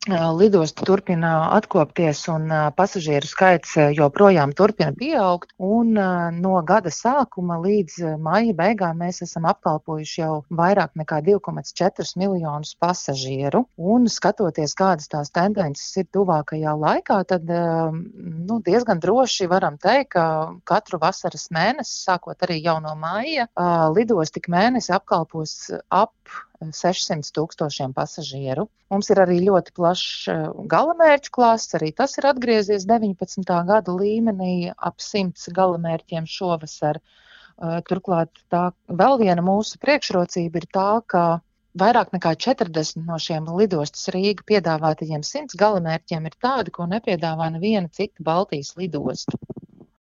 Lidosta turpina atkopties un pasažieru skaits joprojām turpina pieaugt. Un no gada sākuma līdz maija beigām mēs esam apkalpojuši jau vairāk nekā 2,4 miljonus pasažieru. Un skatoties, kādas tās tendences ir tuvākajā laikā, tad diezgan droši varam teikt, ka katru vasaras mēnesi, sākot arī jau no maija, lidosta ik mēnesi apkalpos ap 600,000 pasažieru. Mums ir arī ļoti plašs galamērķu klāsts, arī tas ir atgriezies 19. gada līmenī, ap 100 galamērķiem šovasar. Turklāt tā vēl viena mūsu priekšrocība ir tā, ka vairāk nekā 40 no šiem lidostas Rīga piedāvātajiem 100 galamērķiem ir tādi, ko nepiedāvā neviena cita Baltijas lidosta.